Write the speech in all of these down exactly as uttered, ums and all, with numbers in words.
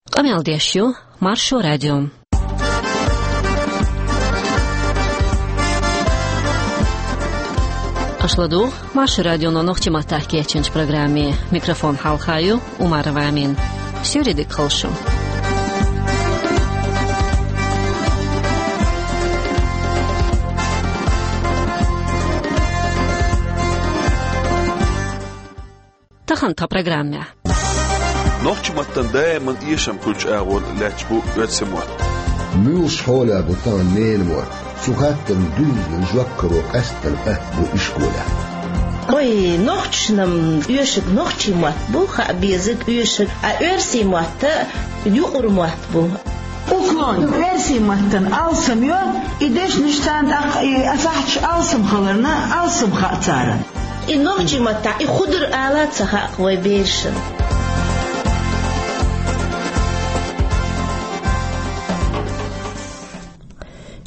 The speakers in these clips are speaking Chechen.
Къамел деш ю Маршо радио. Аша ладугӀу Маршо радионо нохчийн маттахь кечйинчу программе. Микрофон хьалха ю Умарова Амина. Суьйре дика хуьлда шун. Тахана тхан программехь. Нохчийн маттана даиман эшам хуьлучу агӀор лаьтташ бу оьрсийн мотт. Муьлш хьолехь бу тахана ненан мотт? Цу хаттарна дуьззина жоп каро къаьсттина атта бу ишколехь. Ой, нохчашна оьшург нохчийн мотт бу, хаа безарг оьшург, а оьрсийн мотт юкъара мотт бу. Уклон, оьрсийн маттана алсам ю, и дешнаш царна тӀаккха, и асахьчаш алсам хиларна, алсам хаьа царна. И нохчийн маттахь и хӀун ду ала ца хаьа вайн берашна.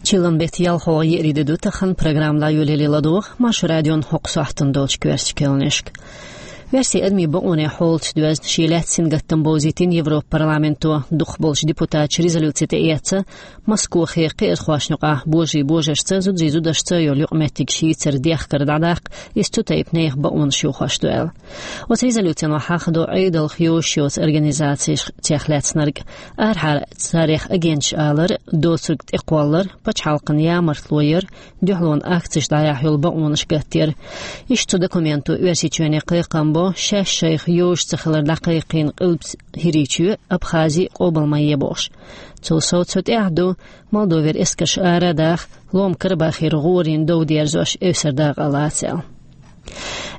Чиллан беттан ялхолгӀа еарин де ду тахана, программа дӀайолале ладогӀа Маршо радион хӀокху сохьтана долчу коьртачу кхаьънашка. Оьрсийн адамийн бакъонийн хьолаца доьзна шен лаьцна сингаттам бовзийтина Европа парламенто. Дукхахболчу депутаташа резолюци тӀеэцна Москохе кхиазхошна юкъахь божарий божаршца, зударий зударшца йолу юкъаметтигаш йийцар дехкар дӀадаккха, иза цу тайпа нехан бакъонаш йохош ду аьлла. Оцу резолюцино хьахадо Ӏедалх йозуш йоцу организацех лаьцнарг. Арахьара царех агенташ алар, доцург тӀекхоллар, пачхьалкхана ямартло яр, дуьхьалонан акцеш дӀаяхьа йолу бакъонаш гатдер. Иштта цу документо Оьрсийчоьне кхайкхам бо, шаьш шайх йозуш ца хилар дӀакхайкхийна Къилбаседа ХӀирийчоь, Абхази къобал ма е бохуш. Цул сов цу тӀехь ду Молдовера эскарш ара а даха, Лома Карабахера гӀорийн дов дерзош эвсара дакъа лаца аьлла.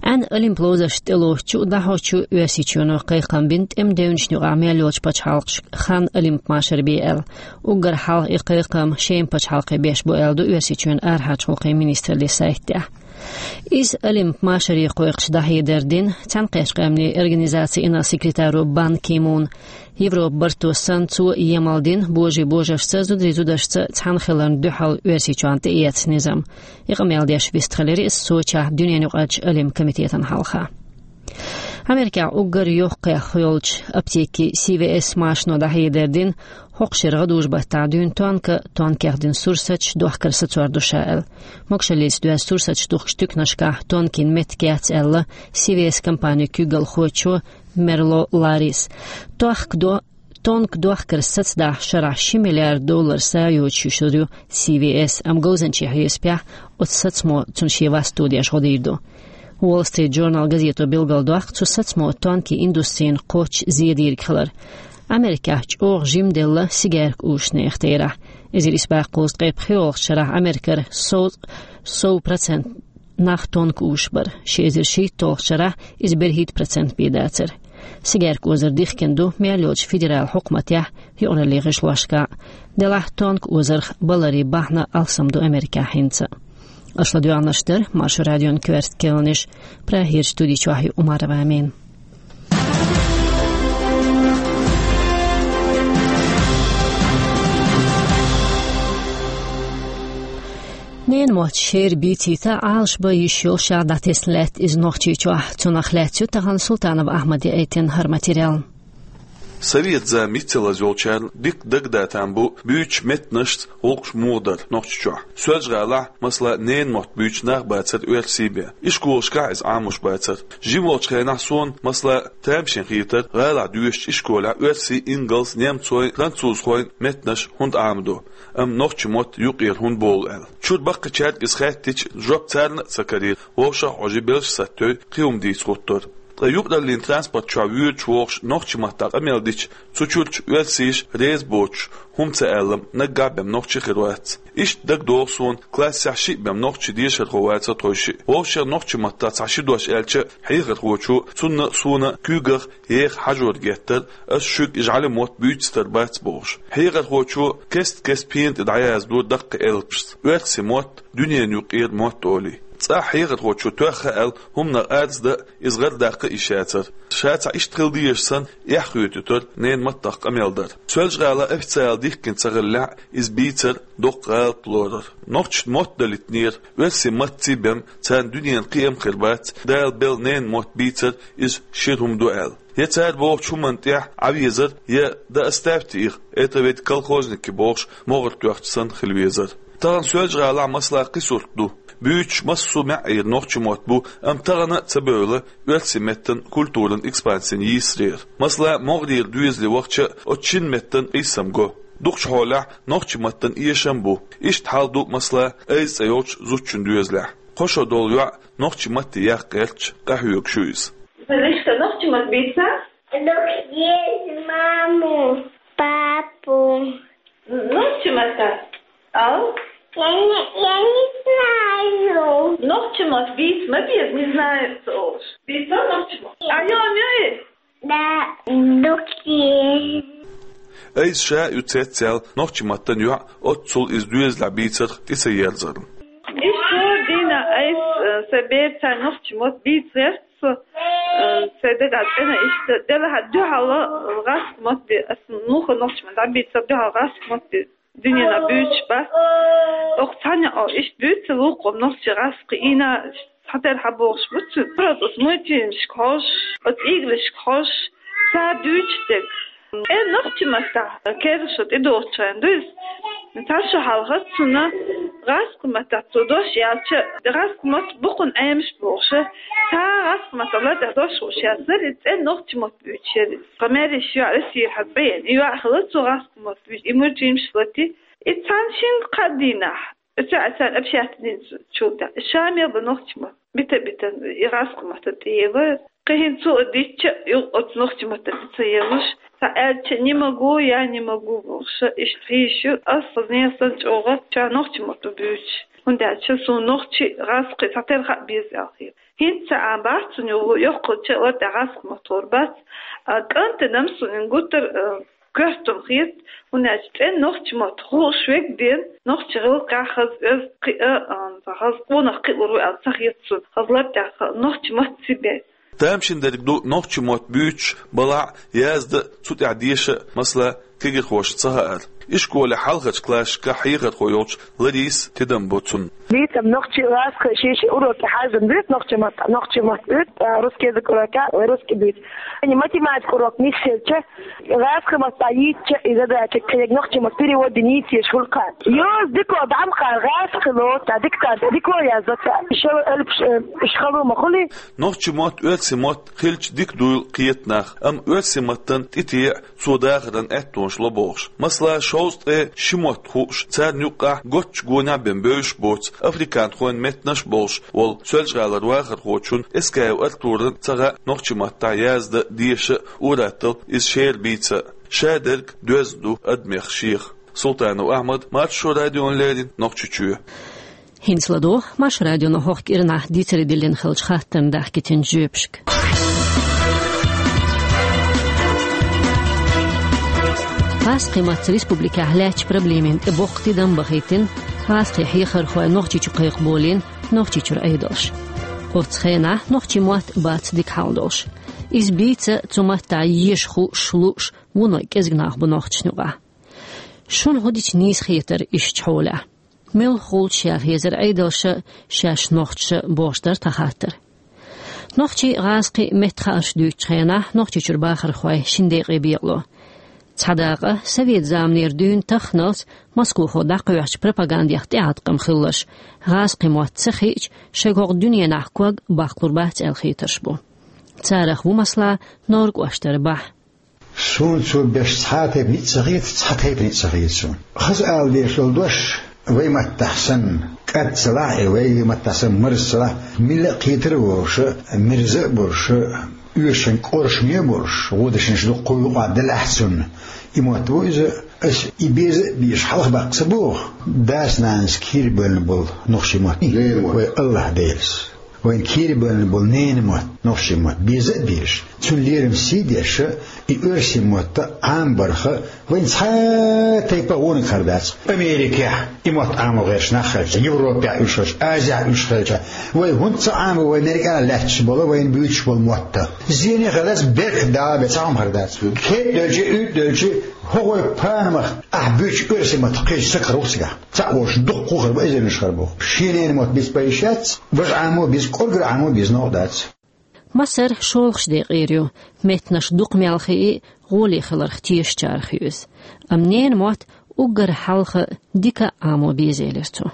Ӏаьнан олимп ловзаршна тӀелоцучу а, дӀахьочу а Оьрсийчоьно кхайкхам бина тӀеман девнашна юкъахь мел йолчу пачхьалкхашка ханна олимп машар бе аьлла. Уггар хьалха и кхайкхам Шема пачхьалкхе беш бу аьлла ду Оьрсийчоьнан арахьарчу гӀуллакхийн министраллин сайтехь. Иза олимп машаре кхойкхуш дӀахьедар дина Цхьаьнакхеттачу Къаьмнийн Организацин инарла секретаро Бан Ки Муна. Европан барто санна, цо емал дина божарий божаршца, зударий зударшца цхьаьна хиларна дуьхьал Оьрсийчоьнна тӀеэцна низам. И къамел деш вистхилира иза Сочехь дуьненаюкъарчу олимпийн комитетана хьалха. Америкехь уггар йоккхах йолчу аптекийн Си Ви Эс машано дӀахьедар дина, хӀокху шеран гӀадужу-баттахь дуьйна тонка, тонкех дина сурсаташ, дохкар сацор ду ша аьлла. Могушаллица доьзна сурсаташ духкучу туьканашкахь тонкийн меттиг яц аьлла Си Ви Эс компанин куьйгалхочо Мерло Ларрис. Тонка до-, тонка дохкар сацадахьа шарахь ши миллиард доллар са йоцуш йолуш ю Си Ви Эс, амма говзанчийн хьесапехь оцу сацамо цунна шен васт тодеш гӀо дийр ду. Wall Street Journal газето билгалдоккху цу сацамо тонкийн индустрина кхоччуш зе дийриг хилар. Америкехь чӀогӀа жимделла сигаьрка узучу нехан терахь. Эзар исс бӀе кхузткъе пхоьалгӀачу шарахь Америкера сов, сов процент нах тонка узуш бара. Ши эзар шийтталгӀачу шарахь иза берхӀитта процент бен дацара. Сигаьрка озар дихкина ду мел йолчу федералан хьукматехь, юкъараллин гӀишлошкахь. Делахь тонка озарх баларан бахьана алсам ду Америкехь хӀинца. Аша ладоьгӀнарш дара Маршо радион коьрта кхаьънаш, Прагерчу студи чохь ю Умарова Амина. Ненан мотт шера бийцийта Ӏалашбан йиш йолуш дӀатесна лаьтта иза Нохчийчохь. Цунах лаьцна ю тахана Султанов Ахьмада яийтина хӀара материал. Совет зама йицъеллаза йолчарна дика дагадан там бу буьйцучу меттанашца гӀуллакхаш муха дара Нохчийчохь. Соьлжа-ГӀалахь, масала, ненан мотт буьйцуш нах бацара оьрсий бен. Ишколашкахь иза Ӏамош бацара. Жима волчу хенахь суна, масала, тамашийна хетара, гӀалахь доьшучу ишколехь оьрсийн, ингалс, немцойн, французхойн меттанаш хӀунда Ӏамадо, амма нохчийн мотт юкъера хӀунда болу аьлла. Чуьра баккхийчаьрга иза хаьттича, жоп царна а ца карийра, вовшах а хьожий, белшаш саттайой, кхин хӀума дийца хӀуттура. Ткъа юкъараллин транспорт чохь воьдуш вогӀуш нохчийн маттахь къамел дича, цу чуьрачу оьрсаша реза боцуш, хӀума ца аьлла, наггахь бен нохчи хир вац. Иштта дагадогӀу суна, классехь шиъ бен нохчи дешархо вацара тхойшиъ. Вовшех нохчийн маттахь цхьа ши дош аьлча, хьехархочо цунна а, суна а куьйгах еха хьажор геттара, ас шуьга и жӀаьлин мотт буьйцуьйтур бац бохуш. Хьехархочо кест-кеста пена тӀе дӀаяздора даккхий элпашца: «Оьрсийн мотт, дуьненан юкъара мотт», олий. ЦӀахь хьехархочо тоьхна аьлла хӀуманах арздан, иза гӀардаккха а йиш яцара. Ша цхьа иштта хила дезаш санна, эхь хоьтуьйтура ненан маттах къамел дар. Соьлжа-ГӀала официалан дихкина ца хиллехь, иза бийцар доккха гӀалат лорар. Нохчашна мотт далийтинера, оьрсийн маттаций бен царна дуьненан кхиам хир бац, Дала белла ненан мотт бийцар иза шира хӀума ду аьлла. Я цара бохучу хӀуманна тӀехь Ӏа везар, я да оставьте их, это ведь колхозники бохуш, могӀара тоьхча санна хила везар. Тахана Соьлжа-ГӀалахь, масала, кхин сурт ду. Буьйцуш массо а маьӀӀера нохчийн мотт бу, амма тахана а ца бевлла оьрсийн меттан культуран экспансин йийсарера. Масала, могӀарера доьзале вахча а оцу шина меттан къийсам го. Дукхачу хьолехь нохчийн маттана эшам а бу. Иштта хьал ду, масала, Айза цӀе йолчу зудчун доьзалехь. Кхо шо долу йоӀ нохчийн матте яккха гӀерташ къахьоьгуш ю иза. Лишка, нохчийн мотт бийца? Нохчийн мотт, маму, папу. Нохчийн мотт? Ау? Я не, я не знаю. Нохчийн мотт бийца ма беза, не знаю, цо олуш. Бийца нохчийн мотт? А, ё, ё, ё. Да, нохчийн. Айза ша ю цецъяьлла нохчийн маттана йоӀ, оццул иза доьзалехь бийцарх тӀе ца ерзарна. Иштта дийнахь Айза, э, сайн бераца нохчийн мотт бийца гӀерта со, э, сайн дагахь цӀена иштта, делахь дуьхьал, э, гӀазкхийн мотт бен, ас муха нохчийн мотт дӀабийцар, дуьхьал гӀазкхийн мотт бен дуьненахь буьйцуш бац. Оха цхьаьна а иштта буьйцу лулахо нохчийн, гӀазкхийн ийна цхьатерра хьабохуш бу цуьнан. Просто оцу мультфильмашка хьожуш, оцу играшка хьожуш, цара дуьйцуш дерг. Э, нохчийн маттахь керла шо тӀедогӀучу хенахь ду иза. Цхьа шо хьалха цунна гӀазкхийн маттахь цо дош яьлча, гӀазкхийн мотт бу кхунна Ӏемаш бохуш, цхьа гӀазкхийн маттахь латӀехь дош хууш яцара, и цӀена нохчийн мотт буьйцуш яра иза. Тхан маьрша йоӀ Россера хьан цӀе йина, и йоӀ хилла цо гӀазкхийн мотт буьйцуш, и мультфильмаш лати. И цхьана шина-кхаа дийнахь, оцу а царна общественницу чул тӀе, ша мел бан нохчийн мотт бита-битина, и гӀазкхийн маттана тӀеелира. Кхин хӀинца цо а дитча, юха оцу нохчийн маттана тӀе ца елуш, цхьа аьлча, не могу, я не могу бохуш, иштта хьийзаш ю. Ас хазне санна чӀогӀа ша нохчийн мотт ду буьйцуш, хӀунда аьлча суна нохчийн, гӀазкхийн цхьатерра хаа беза аьлла хета. ХӀинца а бац цунна юха йоккхача а латӀехь гӀазкхийн мотт лур бац. А кӀантана-м суна гуттар а коьртаниг хета, хӀунда аьлча цӀена нохчийн мотт хууш верг ден, нохчийн гӀиллакхехь хаза оьзда кхиа, а, хаза къонах кхиалур ву аьлла ца хета суна, хаза латӀехь нохчийн мотт ца бен. Тамашийна дерг ду нохчийн мотт буьйцуш балахь а, язда а, цу тӀехь деша а, масала, кегирхошна ца хаар. Ишколехь хьалхарчу классашкахь хьехархо йолчу Ларисас тидам бо цунна. Бийцам нохчийн, гӀазкхийн, шен-шен уроке хьаьжжина буьйцу нохчийн мотт, нохчийн мотт буьйцу, а, русский язык уроке, ой, русский буьйцу. Ани математика урок нисъелча, гӀазкхийн маттахь йийцча, и задача кхерг нохчийн маттахь перевод дина йийца езаш хуьлу кхана. Йоза дико дӀа ма кхара, гӀазкхило, цхьа диктант дико язъян цхьа, шо элпаш, э, уьш хало ма хуьлий. Нохчийн мотт оьрсийн мотт хилча дика дуйла кхета нах, амма оьрсийн маттана тӀе теӀа цо дахаран аьттонаш ло бохуш. Масала, шовзткъа ткъе ши мотт хууш, царна юккъехь готтачу гонехь бен бевзаш боцу, африканхойн меттанаш а болуш волу Соьлжа-ГӀалара вахархочунна Эскаев Артурна ца хаьа нохчийн маттахь язда а, деша а, ур-атталла иза шера бийца а. Ша дерг доьзна ду адамех шех. Султанов Ахьмад, Маршо радиона леррина, Нохчийчоь. ХӀинца ладогӀа Маршо радионо хӀокху кӀиранахь дийцаре диллина хиллачу хаттарна даьхкина жоьпашка. ГӀазкхийн маттаца республикехь лаьттачу проблемийн тӀе боккха тидам бахийтина гӀазкхийн хьехархойн Нохчийчу кхайкхаболийна Нохчийчуьра Ӏедалша. Оццу хенахь нохчийн мотт бац дика хьал долуш. Иза бийца а, цу маттахь еша хууш, лууш вуно кӀезиг нах бу нохчашна юкъахь. Шуна хӀун дича нийса хетара ишттачу хьолехь? Муьлха хуьлу шаьш хезар Ӏедалша шаьш нохчаша бохуш дара тхан хаттар. Нохчийн, гӀазкхийн меттан хаарш дуьйцучу хенахь Нохчийчуьра бахархой шина декъе бекъало. Цхьа дакъа совет заманера дуьйна тахханалц Москвахо дӀакхоьхьучу пропагандех тӀеӀаткъам хилалаш, гӀазкхийн мотт ца хиъча, шайгахь дуьненахь ког баккхалур бац аьлла хетарш бу. Царах ву, масала, Нора кӀоштара Бахьа. Суна цо беш цхьа а тайпа ницкъ ца хета, цхьа тайпа ницкъ ца хета суна. Хаза ала дезаш долу дош, вай маттахь санна, кӀад ца лахь а, вай маттахь санна, марз ца лахь а, милла а кхетар а волуш, мирза а болуш, оьшучун кӀоршаме а болуш, вон дешнаш дуккха а юкъахь делахь а цунна. И мотт ву иза, ас и беза а безаш хьалха баккха ца боху. Дас-нанас кийра бевлла болу нохчийн мотт. Вай АллахӀ-Делас. Вайна кийра бевлла болу ненан мотт, нохчийн мотт, беза а безаш, цуьнан лерам сий деш, и оьрсийн мотт Ӏамабарх вайна цхьа а тайпа а вониг хир дац. Америкехь и мотт Ӏамо гӀерташ нах хилча, Европехь уьш хилча, Азехь уьш хилча, вай хӀунда ца Ӏамо вайна нерг а лаьтташ болу, вайна буьйцуш болу мотт? Зене хир дац, беркат Дала бен цхьа хӀума хир дац. Кхетта девлча, уьйтӀа девлча, хӀокху вай панамах ахь буьйцу оьрсийн мотт кхечу сакхар ву цигахь. Цхьаъ волуш дуккха хир бу, эзарнаш хир бу. Шен ненан мотт бийца бан йиш яц, важа Ӏамо а бийца, кӀоргара Ӏамо а бийца новкъа дац. Масар шолгӀачу декъера ю, меттанаш дукха мел хии, гӀоле хиларх тешачарах ю иза. Амма ненан мотт уггар хьалха дика а Ӏамо беза, элира цо.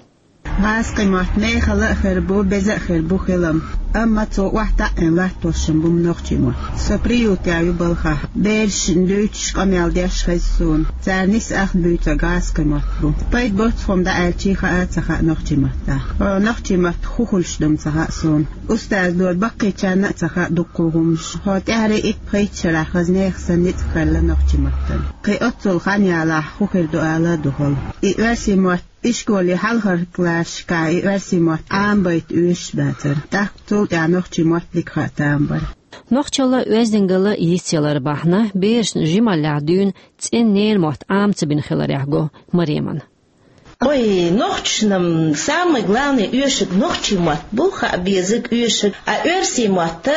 ГӀазкхи мотт мехала а хир бу, беза а хир бу хилам. Амма цо охьатаӀийна латтош бу нохчи мотт. Со приютехь ю балхахь. Берашна дуьйцуш, къамел деш хеза суна. Цара нисса ах буьйцург гӀазкхи мотт бу. Пайда боцу хӀума дӀааьлча, хаа а ца хаьа нохчи маттахь. Нохчи мотт хӀун хуьлуш ду-м ца хаьа суна. Устаза дора баккхийчарна а ца хаьа дуккха хӀуманаш. Хьо тӀаьхьарий итт-пхийтта шарахь хаза нехан санна ницкъ хилла нохчи маттана. Кхин оццул хан ялахь хӀун хир ду ала а ду хала. И оьрсийн мотт ишколе хьалхара классашкахь и оьрсийн мотт Ӏамабайта оьшуш бацара. ТӀаккха цул тӀаьхьа нохчи мотт дика хаа тамаш бара. Нохчалла, оьздангалла йицъялар бахьана, берашна жималлехь дуьйна цӀена ненан мотт Ӏама ца бина хиларехь го Маремана. Ой, нохчашна самый главный оьшург нохчи мотт бу, хаа безарг оьшург, а оьрсийн мотт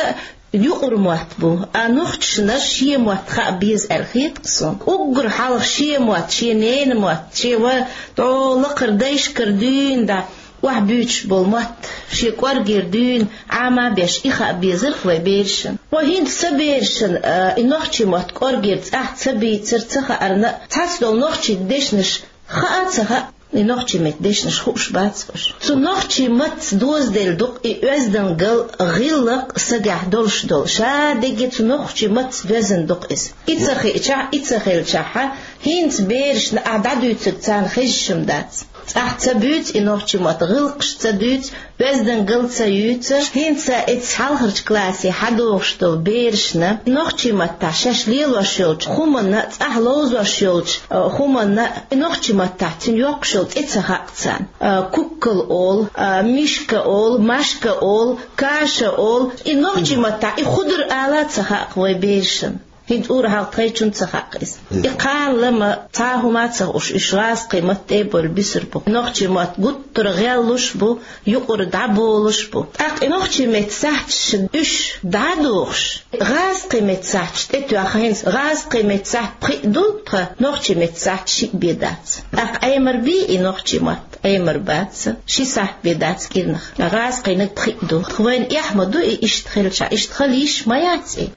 юкъара мотт бу, а нохчашна шен мотт хаа беза аьлла хета-кх суна. Уггар хьалха шен мотт, шен ненан мотт, шен ва тӀо лакхара дайшкара дуьйна дӀа охьабуьйцуш болу мотт, шен кӀоргера дуьйна Ӏама а беш, и хаа безарх вай берашна. Хьо хӀинца сан берашна, а, и нохчи мотт кӀоргера цӀахь ца бийцар, ца хаарна, цхьацца долу нохчийн дешнаш хаа а ца хаьа, и нохчи меттан дешнаш хууш бац уьш. Цу нохчи маттаца дозаделла ду-кх и оьздангалла, гӀиллакх сагехь долуш долу. Ша дерриге цу нохчи маттаца доьзна ду-кх иза. И ца хиъчахь, и ца хилчахьа, хӀинца берашна ахь дӀадуьйцург царна хезаш-м дац. ЦӀахь ца буьйцу и нохчи мотт, гӀиллакхаш ца дуьйцу, оьздангалла ца юьйцу. ХӀинца эцца хьалхарчу классе хьадогӀуш долу берашна нохчи маттахь шаьш лелош йолчу хӀуманна, цӀахь ловзош йолчу, а, хӀуманна, и нохчи маттахь цуьнан йоккхуш йолу цӀе ца хаьа царна. А, куккал олу, а, мишка олу, машка олу, каша олу. И нохчи маттахь и хӀун ду ала а ца хаьа-кх вай берашна. ХӀинца ур-хьалха тхайчунна ца хаьа-кх иза. И кхана лама цхьа а хӀума а ца хууш, уьш гӀазкхи мотт тӀе а бовлуш бисур бу. Нохчи мотт гуттара гӀеллуш бу, юкъара дӀаболуш бу. ТӀаккха и нохчи меттан сахьташ уьш дӀа а дохуш, гӀазкхи меттан сахьташ тӀетоьхна, хӀинца гӀазкхи меттан сахьт пхиъ ду тхан, нохчи меттан сахьт шиъ бен дац. ТӀаккха Ӏемар бий и нохчи мотт? Ӏемар бац. Ши сахьт бен дац кӀирнах. ГӀазкхинаг пхиъ ду. Тхан вайна эхь ма ду и иштта хилча, иштта хила йиш ма яц и.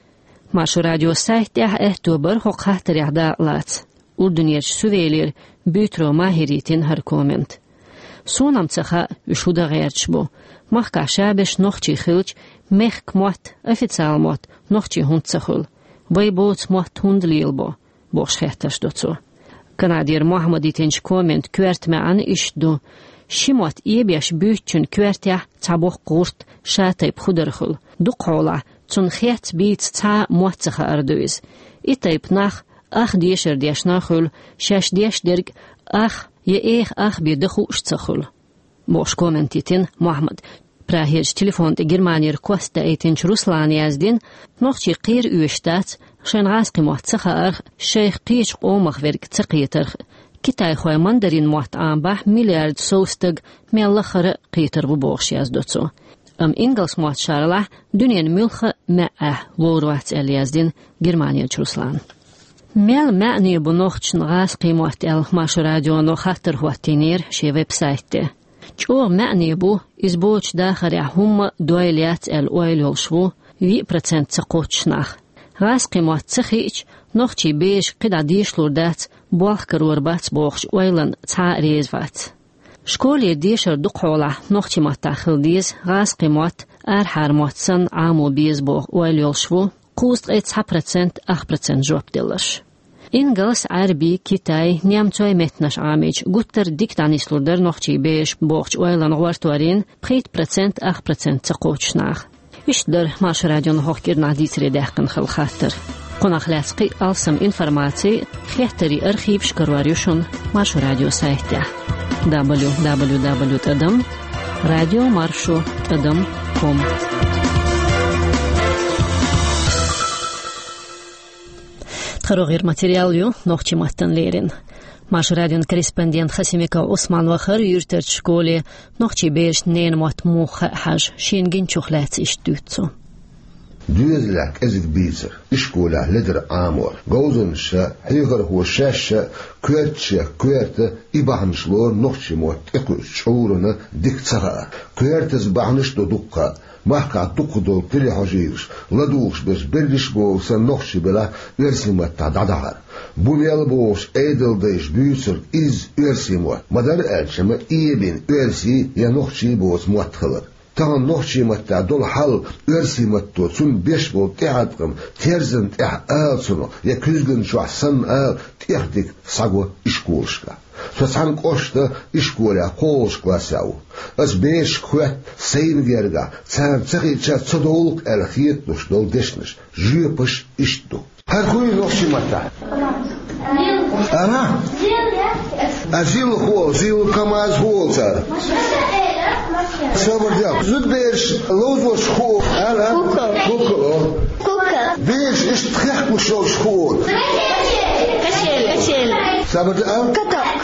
Маршо радион сайта тӀехь аьтто бара хӀокху хаттарехь дакъалаца. Урдунерчу Сувелира Буьйтаро Махьира йитина хӀара коммент. Суна-м ца хаьа, уьш хӀун дан гӀерташ бу. Махкахь шаберш нохчий хилча, мехкан мотт, официал мотт нохчийн хӀунда ца хуьлу? Вай боцу мотт хӀунда лелабо? Бохуш хеттарш до цо. Канадера Мохьмада йитинчу комментан коьрта маьӀна иштта ду: ши мотт эбеш буьйцучун коьртехь цхьа боккха гӀурт, ша тайпа хӀун дара хуьлу. Дукхахьолахь цунна хец-бийца цхьа а мотт ца хаар ду иза. И тайпа нах ах дешар дешна а хуьлу, шаьш деш дерг ах я эха ах бен дан хууш а ца хуьлу. Бохуш коммент йитина Мохьмада. Прагерчу телефон тӀе Германера кост даийтинчу Руслана яздина: нохчий кхера оьшуш дац, шайна гӀазкхи мотт ца хаарх, шайх кхечу къомах верг ца кхетарх. Китайхой мандарин мотт Ӏамабахь миллиард сов стаг, мел лахара а кхетар ву, бохуш яздо цо. Амма ингалс мотт шарлахь дуьненан муьлхха а маьӀӀехь вовр вац, аьлла яздина Германерчу Руслана. Мел маьӀне бу нохчашна гӀазкхи мотт аьлла, Маршо радионо хаттар хӀоттийнера шен веб-сайта тӀе. ЧӀогӀа маьӀне бу, иза боцучу дахарехь хӀумма дойла яц аьлла ойла йолуш ву виъ процент ца кхоччуш нах. ГӀазкхи мотт ца хиъча, нохчий берашка кхидӀа дешалур дац, болх карор бац бохучу ойланна цхьа а реза вац. Школера дешар дукхахьолахь нохчи маттахь хила деза, гӀазкхи мотт арахьара мотт санна Ӏамо беза боху ойла йолуш ву кхузткъе цхьа процент ах процент жоп делларш. Ингалс, Ӏаьрби, китай, немцой меттанаш Ӏамийча, гуттар а дика дӀанислур дара нохчий бераш бохучу ойланна гӀортор йина пхийтта процент ах процент ца кхоччуш наха. Иштта дара Маршо радион хӀокху кӀирнахь дийцаре даьккхина хилла хаттар. Кхунах лаьцна кхин а алсам информаци, хеттарийн архиваш карор ю шуна Маршо радион сайтехь: дабл ю дабл ю дабл ю тӀадам радио маршо тӀадам ком. Тхароггера материал ю нохчи маттана лерина. Маршо радион корреспондент Хасимиков Ӏусман вахара юьртарчу школе нохчий берашна ненан мотт муха хаьа хьажа, шена гиначух лаьцна иштта дуьйцу цо. Доьзалехь кӀезиг бийцар, ишколехь ледара Ӏамор, говзанчаша, хьехархоша шаьш а коьртачех коьрта и бахьанаш лору нохчи мотт тӀекхуьучу чкъурана дика ца хаар. Коьртаза бахьанаш а ду дуккха а. Махкахь дукхах долу телехьожийраш, ладугӀуш берш берриш а боху санна нохчий белахь оьрсийн маттахь дӀадахьара. Бу мел бохуш Ӏедалдайша буьйцург изза оьрсийн мотт, ма-дарра аьлча, ма эбина оьрсийн я нохчийн боцу мотт хилар. Тахана нохчийн маттахь долу хьал, оьрсийн матто цунна беш болу тӀеӀаткъам, терзан тӀехь ала цунах, я куьзган чохь санна ала, тӀех дика схьаго ишколашкахь. Со цхьана кӀоштан ишколехь кхоалгӀачу классехь ву. Ас берашка хоьтту сайна гергахь, царна ца хиъча ца довлу-кх аьлла хеталуш долу дешнаш, жоьпаш иштта ду. ХӀара хӀун ю нохчийн маттахь? Ара? А зил хӀун олу, зил, камаз хӀун олу цара? Сабар де. Зудабераш ловзош хӀун олу? Ара? Кукол. Кукол олу. Кукол. Бераш иштта хехкалуш йолуш хӀун олу? Качели. Качели. Сабар де, а? Каток.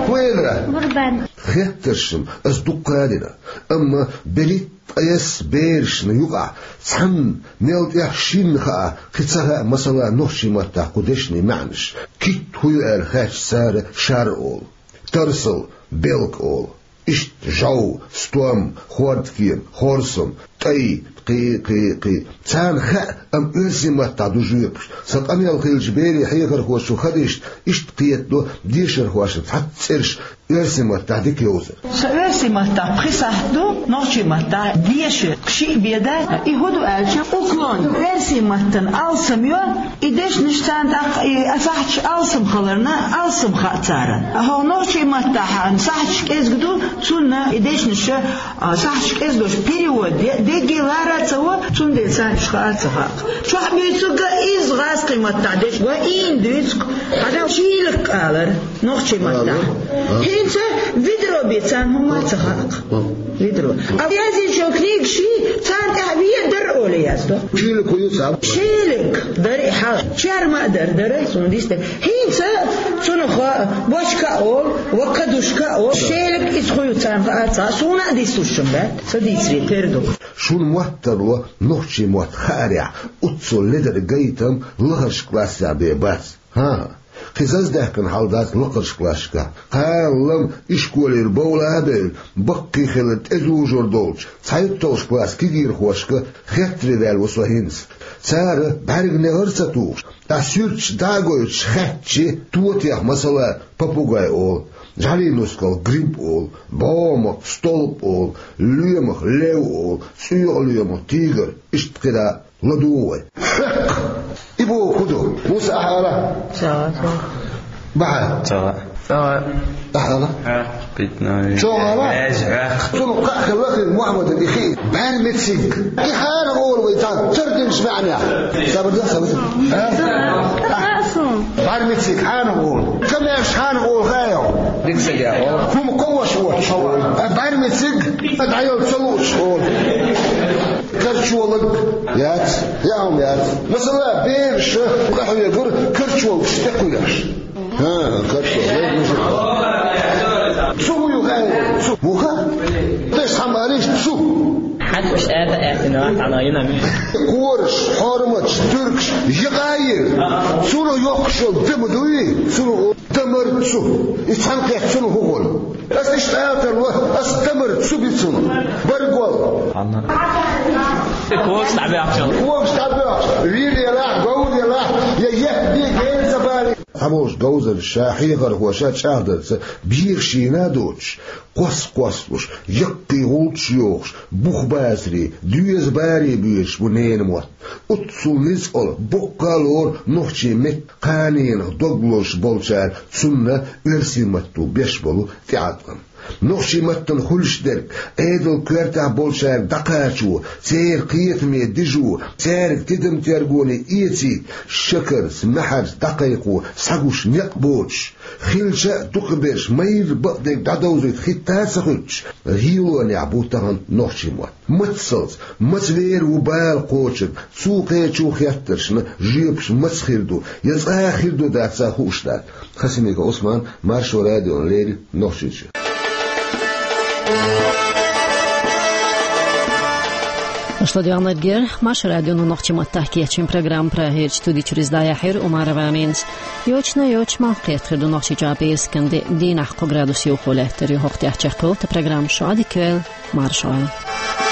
ХӀун элира? Бурбан. Хеттаршна ас дуккха а дина, амма берхӀитта ткъесна берашна юкъахь цхьанна мел тӀех шинна хаа, кхин ца хаьа, масала, нохчийн маттахь кху дешнийн маьӀнаш, китт хӀун ю аьлла хаьттича цара шар олу, тарсал, белка олу, иштта жов, стом, хӀордкема, хорсам, тӀай, кхин, кхин, кхин. Царна хаьа, амма оьрсийн маттахь ду жоьпаш. Сан къамел хиллачу берийн хьехархочун хадишна иштта кхетадо дешархошна цхьацца цӀераш оьрсийн маттахь дика йовзар. Сан оьрсийн маттахь пхи сахьт ду, нохчийн маттахь деша шиъ бен дац. И хӀун ду аьлча, уклон, оьрсийн маттана алсам йо, и дешнаш царна тӀаккха и а сахьташ алсам хиларна, алсам хаьа царна. ХӀокху нохчийн маттахь сахьташ кӀезиг ду, цунна и дешнаш, а, сахьташ кӀезиг долуш перевод де, дегге лара а ца во, цундела царна уьш хаа а ца хаьа. Чохь буьйцург а изза гӀазкхийн маттахь дешнаш, ва ийна дуьйцу-кх, хьажал шийлакх алара. Нохчийн маттахь. Ага. ХӀинца ведро бен царна хӀумма а ца хаьа-кх. Ага. Ведро. А язйинчу книгаш, царна тӀехь ведар олий яздо. Шелаг хӀун ю цхьа? Шелаг дара и хьалха. Чарма а дара, дара, суна дийцина. ХӀинца цунах бочка а олу, ва кадушка а олу. Шелаг иза хӀун ю царна хаа ца, суна а дийцуш ма дац. Ца дийцаре тера ду. Шуна мотт тарло нохчийн мотт хаарехь, оццул ледара гайтам лахарчу классехь бен бац. ХӀан-хӀа, кхин заздаьккхина хьал дац лакхарчу классашкахь. Кхана-лама ишколера бовла а бевлла, баккхий хилар тӀезужур долчу цхьайтталгӀачу классан кегийрхошка хеттаре ваьлла ву со хӀинца. Цара бӀаьрган негӀар а ца тухуш, ткъа суьрташ дӀа а гойтуш хаьттича, тотех, масала, попугай олу, жӀаьлин нускалх гриб олу, бӀомах столб олу, лоьмах лев олу, цӀоьхьа лоьмах тигр, иштта кхидӀа. ЛадугӀу вай. Хьекх! И боху хӀун ду? Муса, ахьа ала? Ца, ца. Бахьа? Ца. Ца. Ахьа ала? Хьекх, питна. Чо ала? Вез, хьекх. Цунах кхаъ хилла хин Мухьаммадан и хи. БӀаьрмециг. И хьанах олу вай цхьа тардинчу маьӀнех? Сабар дан, сабар дан. А? Ца, ца, ца. БӀаьрмециг хьанах олу? Камеш хьанах олу хаьий хьуна? Дика стаг олу. ХӀума кховш воцуш олу. А бӀаьрмециг дӀайолу ца луучу олу. Карчолаг яц, яа хӀума яц. Масала, бераш къахьоьгура карчолагаш тӀекхоьхьуш. ХӀа, карчолаг, мужик. Цу хӀун ю хаьий? Цу. Муха? Деш хьама алиш цу. Хьан уьш аьтта аьттина, хьан йина ми? Кораш, хьорматаш, туьркаш, якъа йира. Цунах йоккхуш йолу дама дуй? Цунах Дамар цу. И цхьаьнакхетта цунах хӀун хуьлу? Ас иштта ала тарло, ас дамар цу би цунах. Баргол. Хьанна? Когаш дӀабоьхча. Когаш дӀабоьхча. Вийр елахь, говр елахь, я ехбе генза бали. Цхьаболчу говзанчаша, хьехархоша чӀагӀдарца, бехаш йина а доцуш, кхосса-кхоссалуш, яккхий гӀулчаш йохуш, бух бацаре, доьза баре боьдуш бу ненан мотт. Оццул ницкъала, боккха а лору нохчийн меттан кханенах дог лозуш болчара цунна оьрсийн матто беш болу тӀеӀаткъам. Нохчийн маттана хуьлуш дерг, Ӏедалан коьртехь болчаьрга дӀакхачо, церан кхетаме дижо, цаьрга тидам-тергоне эцийта, шакарца, маьхьарца дӀакхайкхо, схьагуш некъ боцуш, хилча а дукхахберш майрра бакъдерг дӀадовзуьйту хӀитта а ца хуьттуш, гӀийлонехь бу тахана нохчийн мотт. Мацалц, маца вер ву бала кхочург, цу кхечу хеттаршна жоьпаш маца хир ду, я цкъа а хир ду дац а хууш дац. Хасимиков Ӏусман, Маршо радиона леррина, Нохчийчоь. Аша ладоагӀа нерг яр Маршо радионо нохчийн маттахь кечйина программа. Прагерчу студи чуьра иза дӀаяьхьира Умарова Аминас. Йочана йочу ма кхетхир ду нохчийчохь бесикан де, дийнахь кхо градус юхо лаьттар ю. ХӀокху тӀехь чекхйолу тхан программа. Шу Ӏадика йойла, марша Ӏойла.